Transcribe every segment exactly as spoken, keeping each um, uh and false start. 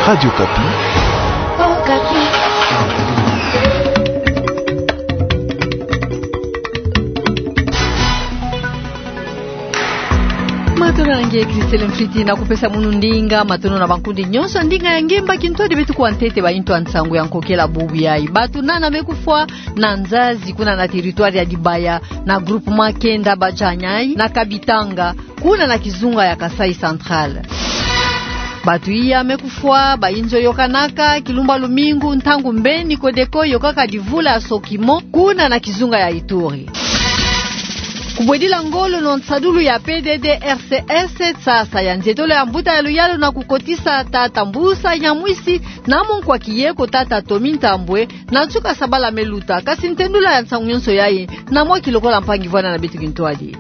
Radio Okapi. Okapi. Matondo na nge Christelle Mfiti, na kupesa munu ndinga. Matondo na bankundi nyonso ndinga ya nge mba kintwadi beto kuwa ntete ba intu ya nsangu ya nkokela bubu yayi. Bato nana me kufwa na nzazi kuna na territoire ya Dibaya, na groupement Kienda Bajanyai, na Kabitanga, kuna na kizunga ya Kasaï Central. Bato iya me kufwa, bayinzo yokanaka, kilumbu ya lumingu, ntangu mbeni Codeco yokaka divula ya sokimo, kuna na kizunga ya Ituri. Kubwedila ngolo na nsadulu ya P D D R C S, nsasa ya nzietolo ya mbuta ya luyalu na kukotisa tata Mbusa Nyamwisi na monkwa kieko tata Tommy Ntambwe, na nsuka sabala me luta. Kasi ntendula ya nsangu nyonso yayi, na mwa kilokola mpangi vwanda na beto kintwadi.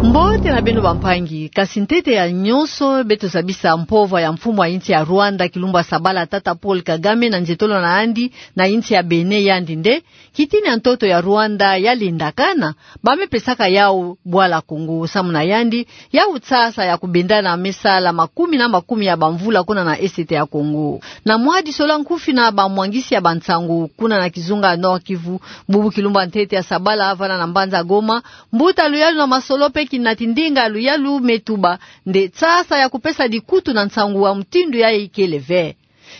Mbote na beno bampangi, kasi ntete ya nyonso, beto zabisa mpova ya mfumu ya insi ya Rwanda kilumbu ya sabala tata Paul Kagame na nzietolo na yandi na insi ya Bénin, yandi nde: Kitini ya ntoto ya Rwanda yalendakana, ba me pesaka yawu bwala Kongo, samu na yandi, yawu nsasa ya kubenda na me sala makumi na makumi ya bamvula kuna na Est ya Kongo. Na mwa disolo nkufi na bamwangisi ya bansangu kuna na kizunga Nord-Kivu, bubu kilumbu ya ntete ya sabala vwanda na mbanza Goma, mbuta luyalu na masolo mpe kinati ndinga luyalu me tuba nde nsasa ya kupesa dikutu na nsangu ya mutindu yayi kele ve.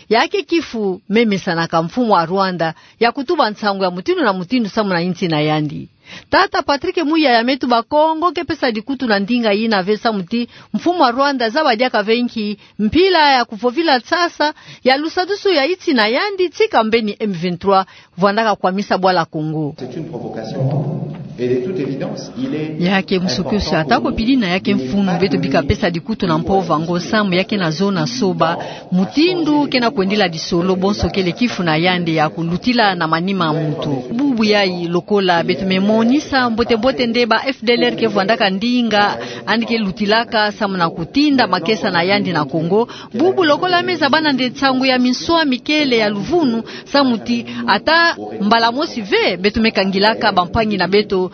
Ya ke kifu me mesanaka mfumu ya Rwanda ya kutuba nsangu ya mutindu na mutindu samu na insi na yandi. Tata Patrick Muyaya me tuba Kongo ke pesa dikutu na ndinga yina ve, samu ti mfumu ya Rwanda zaba diaka ve nki mpila ya kuvovila nsasa ya lusadusu ya insi na yandi, tika mbeni M vingt-trois vwandaka kwamisa bwala Kongo. C'est une provocation. Et de toute évidence, il est... Ya ke musukusu, ata ko pili na ya ke mfunu, beto bika pesa dikutu na mpova ngo, samu ya ke na zona soba mutindu ke na kwendila disolo, bonso kele kifu na yandi ya kulutila na manima ya muntu. Bubu yayi, lokola beto me monisa mbote-mbote nde ba F D L R ke vwandaka ndinga yandi ke lutilaka samu na kutinda makesa na yandi na Kongo, bubu lokola me zabana nde nsangu ya minswami kele ya luvunu, samu ti ata mbala mosi ve beto me kangilaka bampangi na beto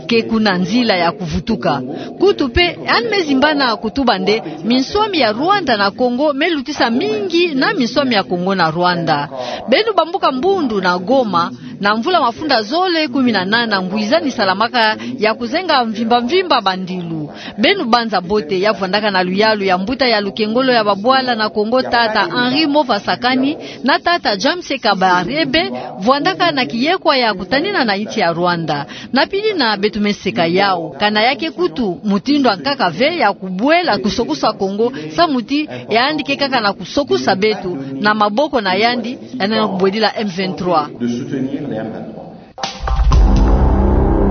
ke kuna nzila ya kuvutuka. Kutu mpe, yandi me zimbana kutuba nde minswami ya Rwanda na Kongo me lutisa mingi na minswami ya Kongo na Rwanda. Beno bambuka Mbundu na Goma, na mvula mafunda zole kumi na nana, ngwizani salamaka ya kuzenga mvimba-mvimba bandilu. Beno banza mbote ya vwandaka na luyalu ya mbuta ya lukengolo ya babwala na Kongo, tata Henri Mova Sakani, na tata James Kabarebe, vwandaka na kiyekwa ya kutanina na insi ya Rwanda. Na pili na beto me seka yawu, kana ya ke kutu mutindu ya nkaka ve ya kubwela kusokusa Kongo, samu ti yandi ke kaka na kusokusa beto na maboko na yandi, yandi na kubwedila M vingt-trois.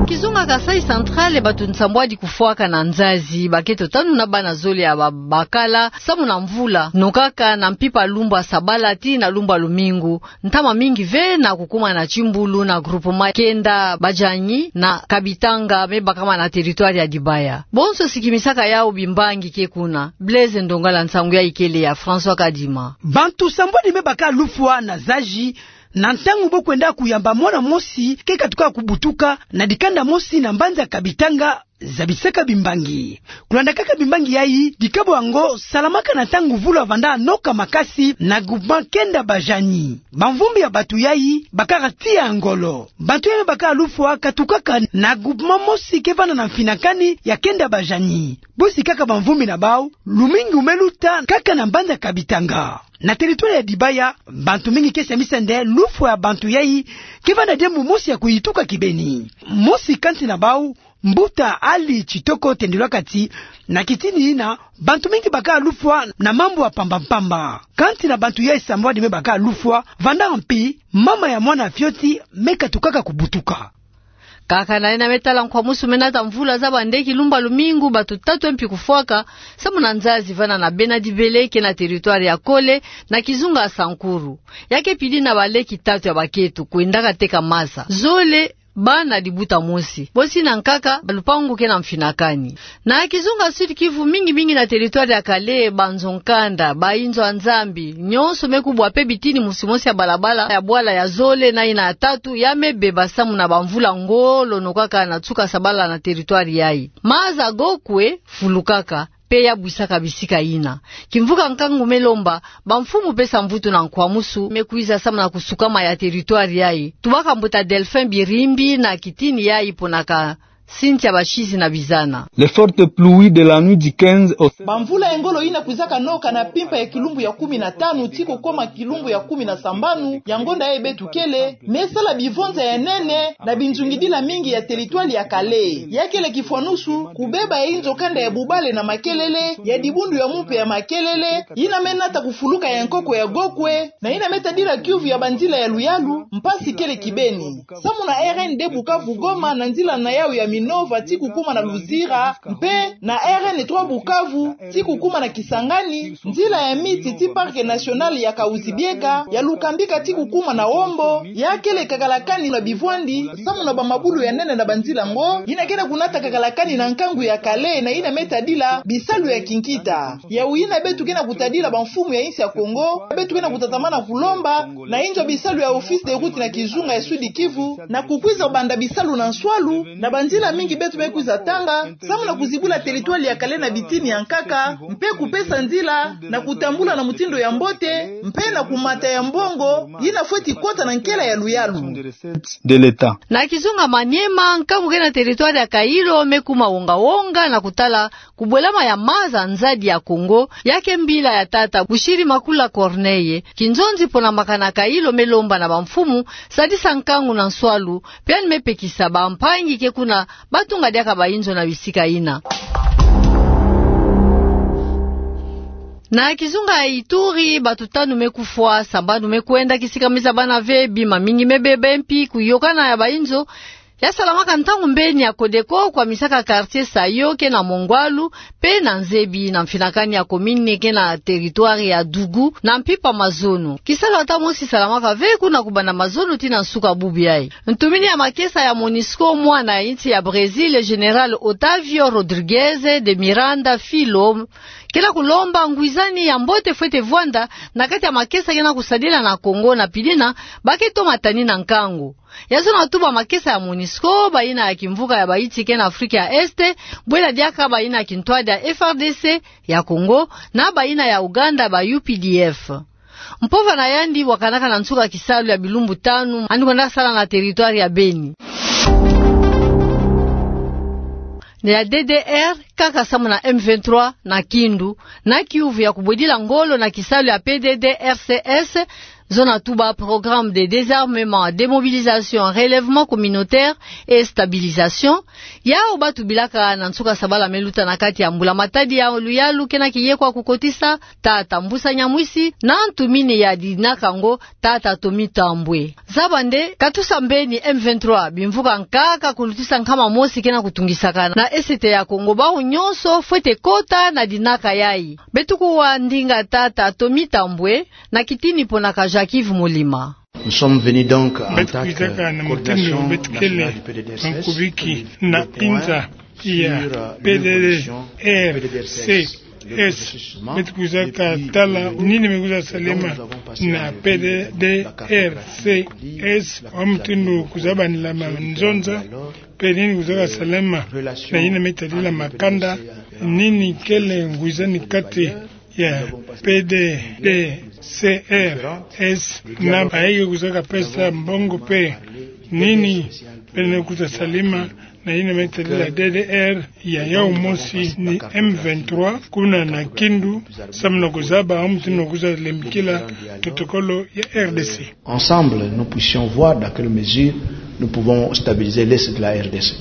Kizunga Kasaï Central, bato nsambwadi kufwaka na nzazi, ba ke tanu na bana zole ya babakala, samu na mvula nokaka na mpimpa lumbu ya sabala tii na lumbu ya lumingu, ntama mingi ve na kukuma na timbulu na groupement Kienda Bajanyai na Kabitanga, me bakama na territoire ya Dibaya. Bonso sikimisaka yawu bimbangi ke kuna. Blaise Ndongala, nsangu yayi kele ya François Kadima. Bato sambwadi me baka lufwa na nzazi, na ntangu bo kwenda kuyamba mwana mosi ke katuka kubutuka na dikanda mosi na mbanza Kabitanga, zabisaka bimbangi. Kulanda kaka bimbangi yayi, dikabo yango salamaka na ntangu mvula vanda noka makasi na groupement Kienda Bajanyai. Bamvumbi ya bato yayi bakaka tiya ngolo. Bato yayi baka lufwa katukaka na groupement mosi ke vanda na mfinakani ya Kienda Bajanyai. Bo sikaka bamvumbi na bawu, lumingu me luta kaka na mbanza Kabitanga. Na territoire ya Dibaya, bato mingi ke samisa nde lufwa ya bato yayi ke vanda diambu mosi ya kuyituka kibeni. Mosi kansi na bawu, mbuta Ali Tshitoko, tendelwaka ti na kitini yina, bato mingi baka lufwa na mambu ya mpamba-mpamba. Kansi na bato yayi sambwadi me baka lufwa, vanda mpi mama ya mwana fioti me katukaka kubutuka. Kaka na yina me tala nkwamusu me nata mvula, zaba nde kilumbu ya lumingu bato tatu mpi kufwaka samu na nzazi vana na Bena-Dibele, ke na territoire ya Kole, na kizunga ya Sankuru. Ya ke pili na baleki tatu ya bakento kwendaka teka maza. Zole bana dibuta mosi. Bosi na nkaka, lupangu ke na mfinakani. Na kizunga Sud-Kivu, mingi-mingi na territoire ya Kalehe, banzo-nkanda, bayinzo ya Nzambi, nyonso me kubwa mpe bitini mosi-mosi ya balabala ya bwala ya zole na yina ya tatu ya me beba samu na bamvula ngolo nokaka na nsuka sabala na territoire yayi. Maza go kwe fulukaka, mpe ya bwisaka bisika yina. Kimvuka nkangu me lomba bamfumu mpe samvutu na nkwamusu me kwiza samu na kusukama ya territoire yayi. Tubaka mbuta Delphin Birimbi na kitini yayi ponaka sintia bashidi na bizana. Les fortes pluies de la nuit du quinze au... Bamvula ya ngolo yina kwizaka noka na mpimpa ya kilumbu ya kumi na tanu ti kukoma kilumbu ya kumi na sambanu ya ngonda yayi beto kele, me sala bivonza ya nene na binzungidila mingi ya territoire ya Kale. Ya kele kifwanusu, kubeba ya inzo kanda ya bubale na makelele, ya dibundu ya mumpe ya makelele, yina me nata kufuluka ya nkoko ya Gokwe, na yina me tadila kiuvu ya banzila ya luyalu, mpasi kele kibeni. Samu na R N D Bukavu Goma na nzila na yawu ya Minova ti kukuma na Luzira, mpe na R N trois Bukavu ti kukuma na Kisangani, nzila ya miti ti Parc National ya Kahuzi-Biega, ya Lukambika ti kukuma na Wombo, ya kele kakalakani na bivwandi, samu na bamabulu ya nene na banzila ngo, yina ke na kunata kakalakani na nkangu ya Kale, na yina me tadila bisalu ya kinkita. Yawu yina beto ke na kutadila bamfumu ya insi ya Kongo, beto ke na kutatamana kulomba na inzo bisalu ya Office des routes na kizunga ya Sud-Kivu, na kukwiza banda bisalu na nswalu, na banzila mingi beto me kwiza tanga, samu na kuzibula territoire ya Kale na bitini ya nkaka, mpe kupesa nzila na kutambula na mutindu ya mbote, mpe na kumata ya mbongo yina fweti kota na nkela ya luyalu. De l'État. Na kizunga Maniema, nkangu ke na territoire ya Kailo me kuma wonga-wonga na kutala kubwelama ya maza nzadi ya Kongo, ya ke mbila ya tata Bushiri Makula Corneille. Kinzonzi pona makana Kailo me lomba na bamfumu sadisa nkangu na nswalu, mpe yandi me pekisa bampangi ke kuna batunga diaka bainzo na bisika yina. Na kizunga ya Ituri, bato tanu me kufwa, sambanu me kwenda, kisika me zabana ve, bima mingi me beba, mpi kuyokana ya bainzo ya salamaka ntangu mbeni ya Codeco kwamisaka quartier Sayo ke na Mongwalu, mpe na nzebi na mfinakani ya commune ke na territoire ya Dougou, na mpimpa mazono. Kisalu ata mosi salamaka ve kuna kubanda mazono tii na nsuka bubu yayi. Ntumini ya makesa ya Monusco, mwana ya insi ya Brésil, Général Otávio Rodrigues de Miranda Filho, ke na kulomba ngwizani ya mbote fwete vwanda na kati ya makesa ke na kusadila na Kongo, na pidina ba ke toma tani na nkangu. Ya zona tuba makesa ya Monusco, bayina ya kimvuka ya Baiti ke na Afrika ya Est, bwela diaka bayina ya kintwadi ya F R D C ya Kongo, na bayina ya Ouganda, ba U P D F. Mpova na yandi wakanaka na nsuka kisalu ya bilumbu tanu, yandi kwenda sala na territoire ya Beni. Na ya D D R, kaka samu na M vingt-trois na Kindu, na kiuvu ya kubwedila ngolo na kisalu ya P D D R C S, zona tuba Programme de désarmement, démobilisation, relèvement communautaire et stabilisation, yawu ba tubilaka na nsuka sabala me luta na kati ya mbula-matadi ya luyalu ke na kiyekwa kukotisa, tata Mbusa Nyamwisi, na ntumini ya dinaka ngo, tata Tommy Tambwe. Zaba nde, katusa mbeni M vingt-trois, bimvuka nkaka kulutisa nkama mosi ke na kutungisakana na Est ya Kongo, bawu nyonso fwete kota na dinaka yayi. Beto kuwa ndinga tata Tommy Tambwe, na kitini ponaka Jacques-Yves Molima. Nous sommes venus donc en tant que coordination nationale du P D D R C S, mankubiki na pinza ya P D D R C S. Beto kwizaka tala nini me kwiza salema na P D D R C S, wa mutindu kwiza banila manzonza, mpe nini kwizaka salema na yina me tadila makanda, nini kele ngwizani kati ya P D D C R S na bayi ke kwizaka pesa mbongo, mpe nini bele kwiza salema na yina me tadila D D R ya yawu mosi ni M vingt-trois, kuna na Kindu, samu na kuzaba wa mutindu kwiza lembikila totokolo ya R D C. Ensemble, nous puissions voir dans quelle mesure nous pouvons stabiliser l'est de la R D C.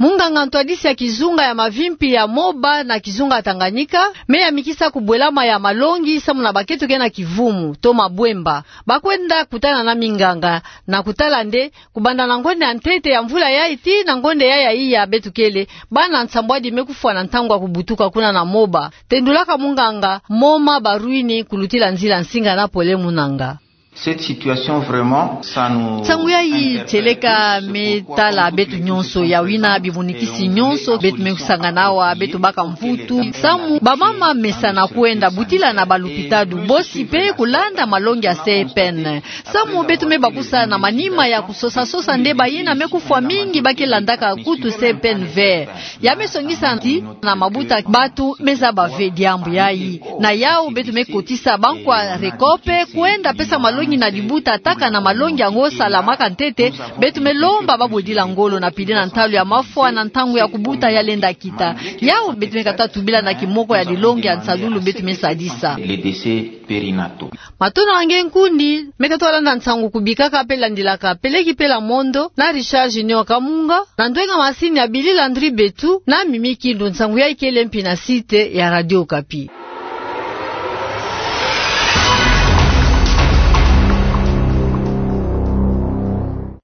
Munganga ntwadisi ya kizunga ya mavimpi ya Moba na kizunga Tanganyika, me yamikisa kubwelama ya malongi samu na bakento ke na kivumu, to mabwemba. Ba kwenda kutana na minganga, na kutala nde, kubanda na ngonde ya ntete ya mvula yayi tii na ngonde yayi ya iya beto kele, bana nsambwadi me kufwa na ntangu ya kubutuka kuna na Moba. Tendulaka munganga Moma Barwini kulutila nzila nsinga na Pole Munanga. Cette situation vraiment, ça nous... Nsangu yayi tieleka me tala beto nyonso, ya wina bimunikisi nyonso beto me kusangana awa, beto baka mvutu. Samu bamama mesana kwenda butila na balupitalu, bosi pe kulanda malongi ya C P N. Samu beto me bakusa na manima ya kusosa-sosa nde bayina me kufwa mingi ba ke landaka kutu C P N vert. Ya me songisa ti na mabuta bato me zaba ve diambu yayi. Na yau beto me kotisa bankwa recope, kwenda pesa malongi na libuta, taka na malongi yango salamaka ntete. Beto me lomba babodila ngolo na pili na ntalu ya mafwa na ntangu ya kubuta ya lenda kita. Yau beto me kata tubila na kimoko ya lilongi ya nsalulu beto me sadisa. Les décès périnataux. Matondo na nge nkundi me kata landa nsangu kubikaka pe landilaka Peleki Pela Mondo na Richard Junior Kamunga, na ndwenga masini ya Billy Landry Betu na Mimi Kindu. Nsangu yayi kele mpi na site ya Radio Okapi.